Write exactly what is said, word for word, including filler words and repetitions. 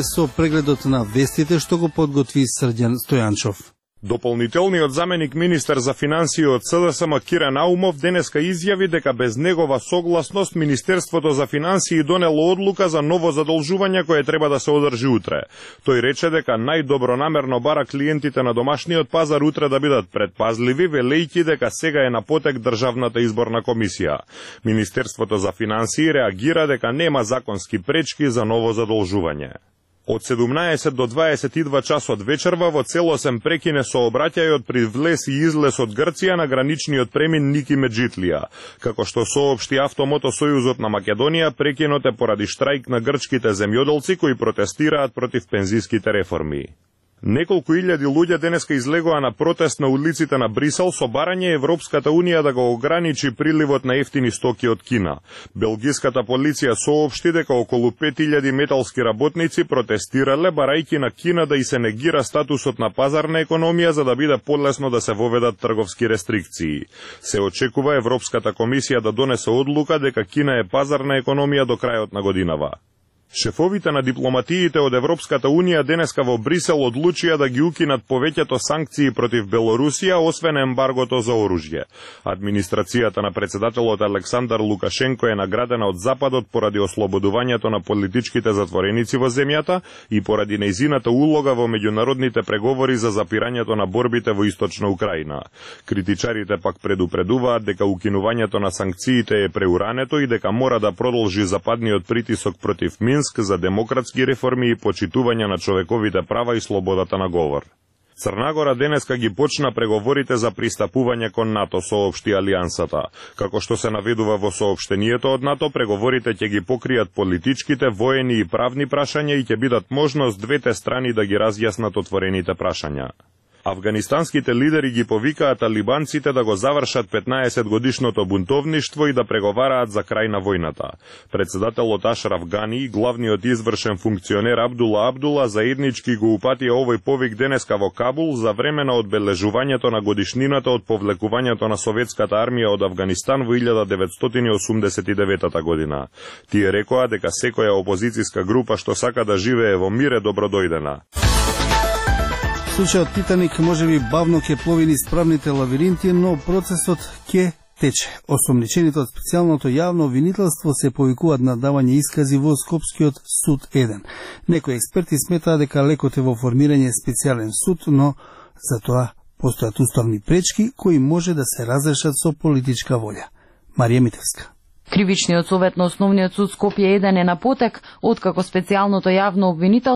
Со прегледот на вестите што го подготви Срđan Стојанчов. Дополнителниот заменик министер за финансии од СДСМ Кира Наумов денеска изјави дека без негова согласност Министерството за финансии донело одлука за ново задолжување кое треба да се одржи утре. Тој рече дека најдобронамерно бара клиентите на домашниот пазар утре да бидат предпазливи, велејќи дека сега е на потек Државната изборна комисија. Министерството за финансии реагира дека нема законски пречки за ново задолжување. Од седумнаесет до дваесет и два часот вечерва во целосен прекине сообраќајот при влез и излез од Грција на граничниот премин Ники Меджитлија. Како што соопшти Автомото Сојузот на Македонија, прекинот е поради штрајк на грчките земјоделци кои протестираат против пензиските реформи. Неколку илјади луѓе денеска излегоа на протест на улиците на Брисел со барање Европската Унија да го ограничи приливот на ефтини стоки од Кина. Белгиската полиција соопшти дека околу пет илјади металски работници протестирале барајќи на Кина да и се негира статусот на пазарна економија за да биде полесно да се воведат трговски рестрикции. Се очекува Европската комисија да донесе одлука дека Кина е пазарна економија до крајот на годинава. Шефовите на дипломатиите од Европската Унија денеска во Брисел одлучија да ги укинат повеќето санкции против Белорусија, освен ембаргото за оружје. Администрацијата на председателот Александар Лукашенко е наградена од Западот поради ослободувањето на политичките затвореници во земјата и поради нејзината улога во меѓународните преговори за запирањето на борбите во Источна Украина. Критичарите пак предупредуваат дека укинувањето на санкциите е преурането и дека мора да продолжи западниот притисок против Минск за демократски реформи и почитување на човековите права и слободата на говор. Црна Гора денеска ги почна преговорите за пристапување кон НАТО, соопшти Алијансата. Како што се наведува во соопштението од НАТО, преговорите ќе ги покријат политичките, воени и правни прашања и ќе бидат можност двете страни да ги разјаснат отворените прашања. Афганистанските лидери ги повикаат талибанците да го завршат петнаесет годишното бунтовништво и да преговараат за крај на војната. Председателот Ашраф Гани и главниот извршен функционер Абдула Абдула заеднички го упатија овој повик денеска во Кабул за време на одбележувањето на годишнината од повлекувањето на советската армија од Афганистан во илјада деветстотини осумдесет и девета година. Тие рекоа дека секоја опозицијска група што сака да живее во мир е добродојдена. Случајот Титаник можеби бавно ќе плови низ правните лавиринти, но процесот ќе тече. Осомничените од специјалното јавно обвинителство се повикуваат на давање искази во Скопскиот суд еден. Некои експерти сметаат дека лекот е во формирање специјален суд, но за тоа постојат уставни пречки кои може да се разрешат со политичка волја. Марија Митевска. Кривичниот совет на Основниот суд Скопје еден е на потек, откако специјалното јавно обвинителство